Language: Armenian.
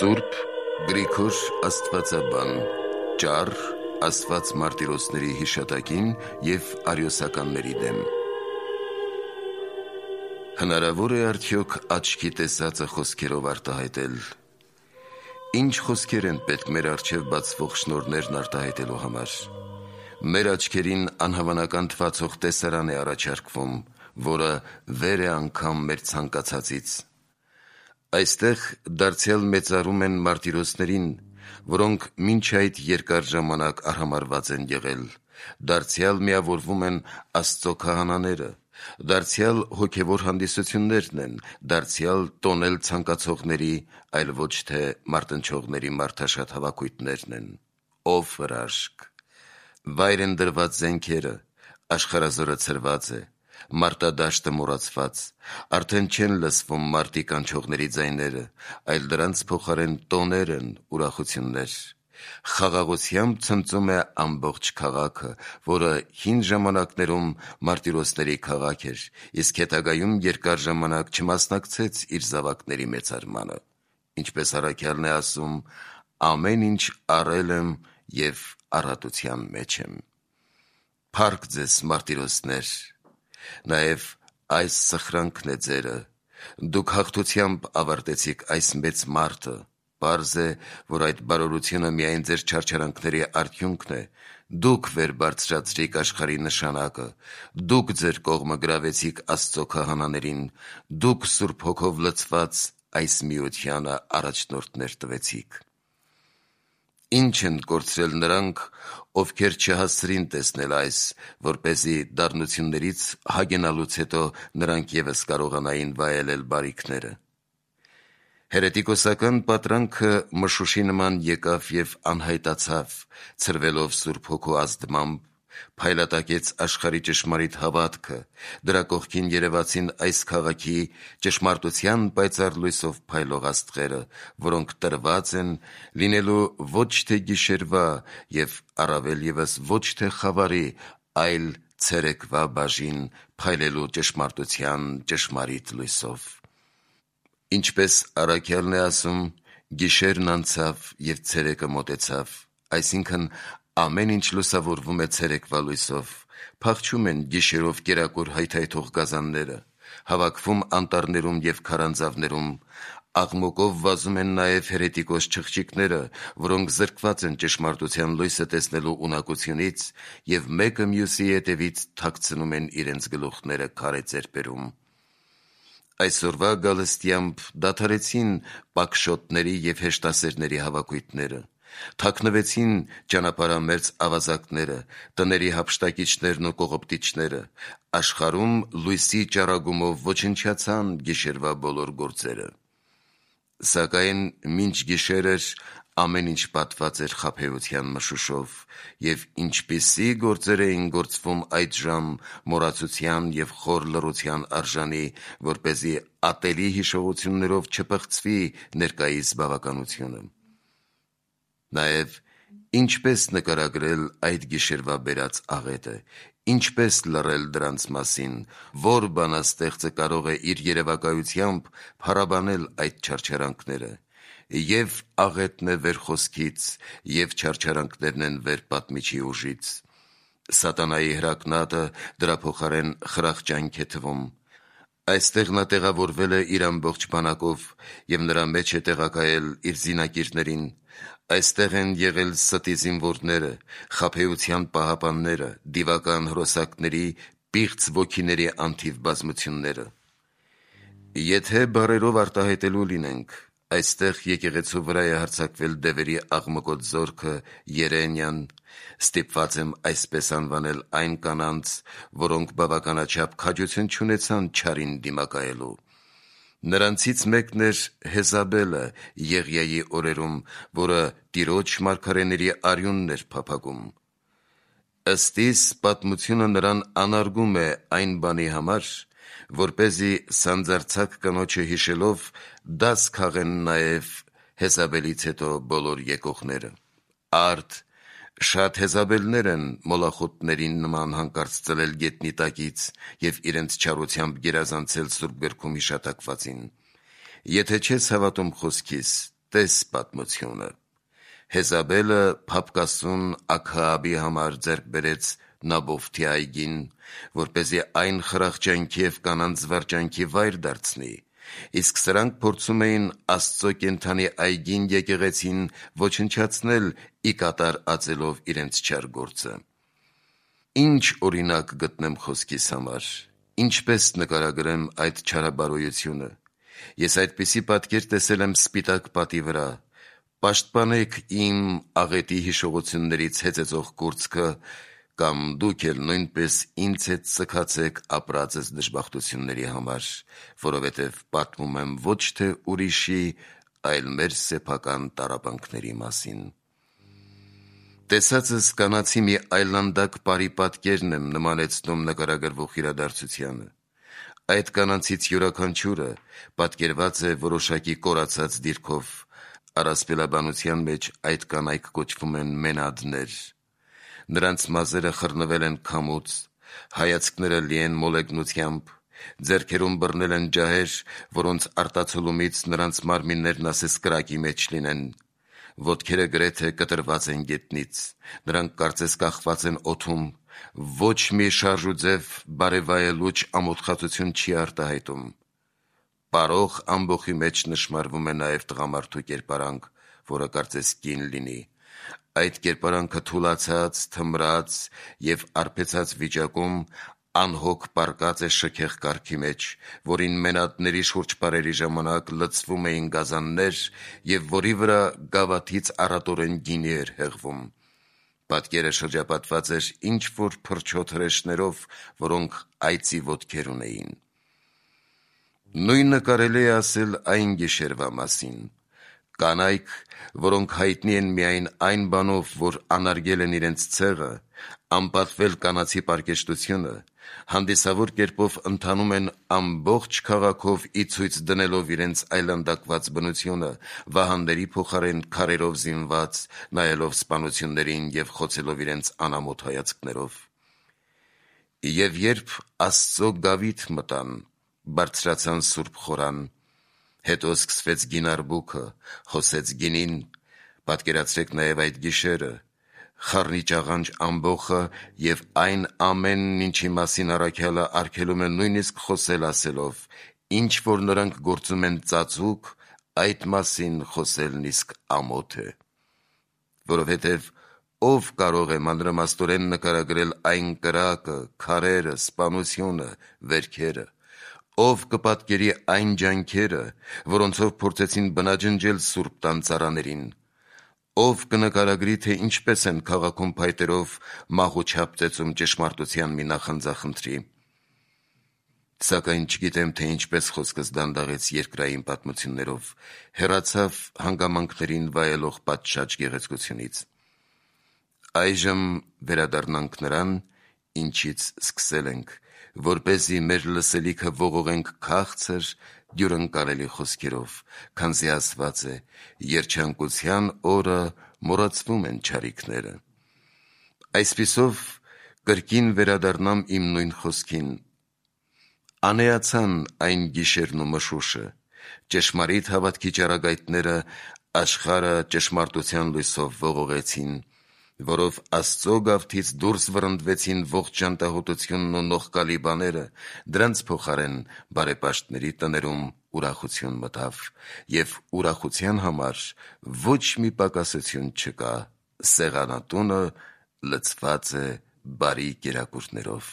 Սուրբ Գրիգոր Աստվածաբան, ճառ Աստված մարտիրոսների հիշատակին և արիոսականների դեմ։ Հնարավոր է արդյոք աչքի տեսածը խոսքերով արտահայտել։ Ինչ խոսքեր են պետք մեր առջև բացվող շնորհներն արտահայտելու համար։ Մեր աչքերին անհավանական թվացող տեսարան է առաջարկվում, որը վեր է անգամ մեր ցանկացածից։ Այստեղ դարձյալ մեծարում են մարտիրոսներին, որոնք մինչ այդ երկար ժամանակ արհամարհված են եղել, դարձյալ միավորվում են Աստծո քահանաները, դարձյալ հոգևոր հանդիսություններն են, դարձյալ տոնել ցանկացողների, այլ ոչ թե մարտնչողների մարդաշատ հավաքույթներն են։ Ով հրաշք։ Վայր են դրված զենքերը, աշխարհազորը ցրված է, մարտադաշտը մոռացված, արդեն չեն լսվում մարտի կանչողների ձայները, այլ դրանց փոխարեն տոներ են, ուրախություններ։ Խաղաղությամբ ցնծում է ամբողջ քաղաքը, որը հին ժամանակներում մարտիրոսների քաղաք էր, իսկ հետագայում երկար ժամանակ չմասնակցեց իր զավակների մեծարմանը։ Ինչպես առաքյալն է ասում, ամեն ինչ առել եմ և առատության մեջ եմ։ Փառք ձեզ, մարտիրոսներ, նաև այս սխրանքն է ձերը, դուք հաղթությամբ ավարտեցիք այս մեծ մարտը, պարզ է, որ այդ բարօրությունը միայն ձեր չարչարանքների արդյունքն է, դուք վեր բարձրացրիք աշխարհի նշանակը, դուք ձեր կողմը գրավեցիք Աստծո քահանաներին, դուք Սուրբ Հոգով լցված այս միությանը առաջնորդներ տվեցիք։ Ինչ են կորցրել նրանք, ովքեր չհասցրին տեսնել այս, որպեսզի դառնություններից հագենալուց հետո նրանք ևս կարողանային վայելել բարիքները։ Հերետիկոսական պատրանքը մշուշի նման եկավ և անհայտացավ, ցրվելով Սուրբ Հոգու ազդմամբ, փայլատակեց աշխարհի ճշմարիտ հավատքը, դրա կողքին երևացին այս քաղաքի ճշմարտության պայծառ լույսով փայլող աստղերը, որոնք տրված են լինելու ոչ թե գիշերվա և առավել ևս ոչ թե խավարի, այլ ցերեկվա բաժին փայլելու ճշմարտության ճշմարիտ լույսով։ Ինչպես առաքյալն է ասում, գիշերն անցավ և ցերեկը մոտեցավ, այսինքն ամեն ինչ լուսավորվում է ցերեկվա լույսով, փախչում են գիշերով կերակուր հայթայթող գազանները, հավաքվում անտառներում և քարանձավներում, աղմուկով վազում են նաև հերետիկոս չղջիկները, որոնք զրկված են ճշմարտության լույսը տեսնելու ունակությունից և մեկը մյուսի ետևից թաքցնում են իրենց գլուխները քարե ծերպերում։ Այսօրվա գալստյամբ դադարեցին պակշոտների և հեշտասերների հավաքույթները, թաքնվեցին ճանապարհամերձ ավազակները, տների հափշտակիչներն ու կողոպտիչները, աշխարհում լույսի ճառագումով ոչնչացան գիշերվա բոլոր գործերը։ Սակայն մինչ գիշեր էր, ամեն ինչ պատված էր խաբեության մշուշով, և ինչպիսի գործեր էին գործվում այդժամ մոռացության և խոր լռության արժանի, որպեսզի ատելի հիշողություններով չփխցվի ներկայիս բավականությունը։ Նաև ինչպես նկարագրել այդ գիշերվա բերած աղետը, ինչպես լռել դրանց մասին, որ բանաստեղծը կարող է իր երևակայությամբ փառաբանել այդ չարչարանքները։ Եվ աղետն է վեր խոսքից, և չարչարանքներն են վեր պատմիչի ուժից։ Սատանայի հրակնատը դրա փոխարեն խրախճանք է թվում։ Այստեղ նա տեղավորվել է իր ամբողջ բանակով և նրա մեջ է տեղակայել իր զինակիրներին։ Այստեղ են եղել ստի զինվորները, խաբեության պահապանները, դիվական հրոսակների, պիղծ ոգիների անթիվ բազմությունները։ Եթե բառերով արտահայտելու լինենք, այստեղ եկեղեցու վրա է հարձակվել դևերի աղմկոտ զորքը Երենիան, ստիպված եմ այսպես անվանել այն կանանց, որոնք բավականաչափ քաջություն չունեցան չարին դիմակայելու։ Նրանցից մեկն էր Հեզաբելը Եղիայի օրերում, որը Տիրոջ մարգարեների արյունն էր փափագում։ Ըստ իս պատմությունը նրան անարգում է այն բանի համար, որպեսզի սանձարձակ կնոջը հիշելով դաս քաղեն նաև Հեզաբելից հետո բոլոր եկողները։ Արդ շատ Հեզաբելներ են մոլախոտներին նման հանկարծ ծլել գետնի տակից և իրենց չարությամբ գերազանցել Սուրբ գրքում հիշատակվածին։ Եթե չես հավատում խոսքիս, Տես պատմությունը։ Հեզաբելը Փափկասուն Աքհաբի համար ձեռք բերեց Նաբովթի այգին, որպեսզի այն խրախճանքի և կանանց զվարճանքի վայր դարձնի, իսկ սրանք փորձում էին Աստծո կենդանի այգին եկեղեցին ոչնչացնել ի կատար ածելով իրենց չար գործը։ Ինչ օրինակ գտնեմ խոսքիս համար, ինչպես նկարագրեմ այդ չարաբարոյությունը։ Ես այդպիսի պատկեր տեսել եմ Սպիտակ պատի վրա. «Պաշտպանեք իմ աղետի հիշողություններից հեծեծող կուրծքը, կամ դուք էլ նույնպես ինձ հետ սգացեք ապրածս դժբախտությունների համար, որովհետև պատմում եմ ոչ թե ուրիշի, այլ մեր սեփական տառապանքների մասին»։ Տեսածս կանացի մի այլանդակ պարի պատկերն եմ նմանեցնում նկարագրվող իրադարձությանը։ Այդ կանանցից յուրաքանչյուրը պատկերված է որոշակի կորացած դիրքով, առասպելաբանության մեջ այդ կանայք կոչվում են մենադներ։ Նրանց մազերը խռնվել են քամուց, հայացքները լի են մոլեգնությամբ, ձեռքերում բռնել են ջահեր, որոնց արտացոլումից նրանց մարմիններն ասես կրակի մեջ լինեն, ոտքերը գրեթե կտրված են գետնից, նրանք կարծես կախված են օդում, ոչ մի շարժուձև բարևայելուչ ամոթխածություն չի արտահայտում։ Պարող ամբոխի մեջ նշմարվում է նաև տղամարդու կերպարանք, որը կարծես կին լինի։ Այդ կերպարանքը թուլացած, թմրած և արբեցած վիճակում անհոգ պառկած է շքեղ կառքի մեջ, որին մենադների շուրջպարերի ժամանակ լցվում էին գազաններ և որի վրա գավաթից առատորեն գինի էր հեղվում։ Պատկերը շրջապատված էր ինչ-որ փրչոտ հրեշներով, որոնք այծի ոտքեր ունեին։ Նույնը կարելի է ասել այն գիշերվա մասին։ Կանայք, որոնք հայտնի են միայն այն բանով, որ անարգել են իրենց ցեղը, անպատվել կանացի պարկեշտությունը, հանդիսավոր կերպով ընթանում են ամբողջ քաղաքով ի ցույց դնելով իրենց այլանդակված բնությունը, վահանների փոխարեն քարերով զինված, նայելով սպանություններին և խոցելով իրենց անամոթ հայացքներով։ Եվ երբ Աստծո գավիթ մտան, բարձրացան Սուրբ խորան, հետո սկսվեց գինարբուքը, հոսեց գինին, պատկերացրեք նաև այդ գիշերը, խառնիճաղանջ ամբոխը և այն ամենն, ինչի մասին առաքյալը արգելում է նույնիսկ խոսել ասելով. ինչ որ նրանք գործում են ծածուկ, այդ մասին խոսելն իսկ ամոթ է։ Որովհետև ով կարող է մանրամասնորեն նկարագրել այն կրակը, քարերը, սպանությունը, վերքերը, ով կպատկերի այն ջանքերը, որոնցով փորձեցին բնաջնջել Սուրբ տան ծառաներին, ով կնկարագրի, թե ինչպես են քաղաքում փայտերով մահուչապ ծեծում ճշմարտության մի նախանձախնդրի։ Սակայն չգիտեմ, թե ինչպես խոսքս դանդաղեց երկրային պատմություններով, հեռացավ հանգամանքներին վայելող պատշաճ գեղեցկությունից։ Այժմ վերադառնանք նրան, ինչից սկսել ենք, որպեսզի մեր լսելիքը ողողենք քաղցր, դյուրընկալելի խոսքերով, քանզի ասված է. «Երջանկության օրը մոռացվում են չարիքները»։ Այսպիսով կրկին վերադառնամ իմ նույն խոսքին. անեացան այն գիշերն ու մշուշը, ճշմարիտ հավատքի ճառագայթները աշխարհը ճշմարտության լույսով ողողեցին, որով Աստծո գավթից դուրս վռնդվեցին ողջ ժանտահոտությունն ու նողկալի բաները, դրանց փոխարեն բարեպաշտների տներում ուրախություն մտավ, և ուրախության համար ոչ մի պակասություն չկա, սեղանատունը լցված է բարի կերակուրներով։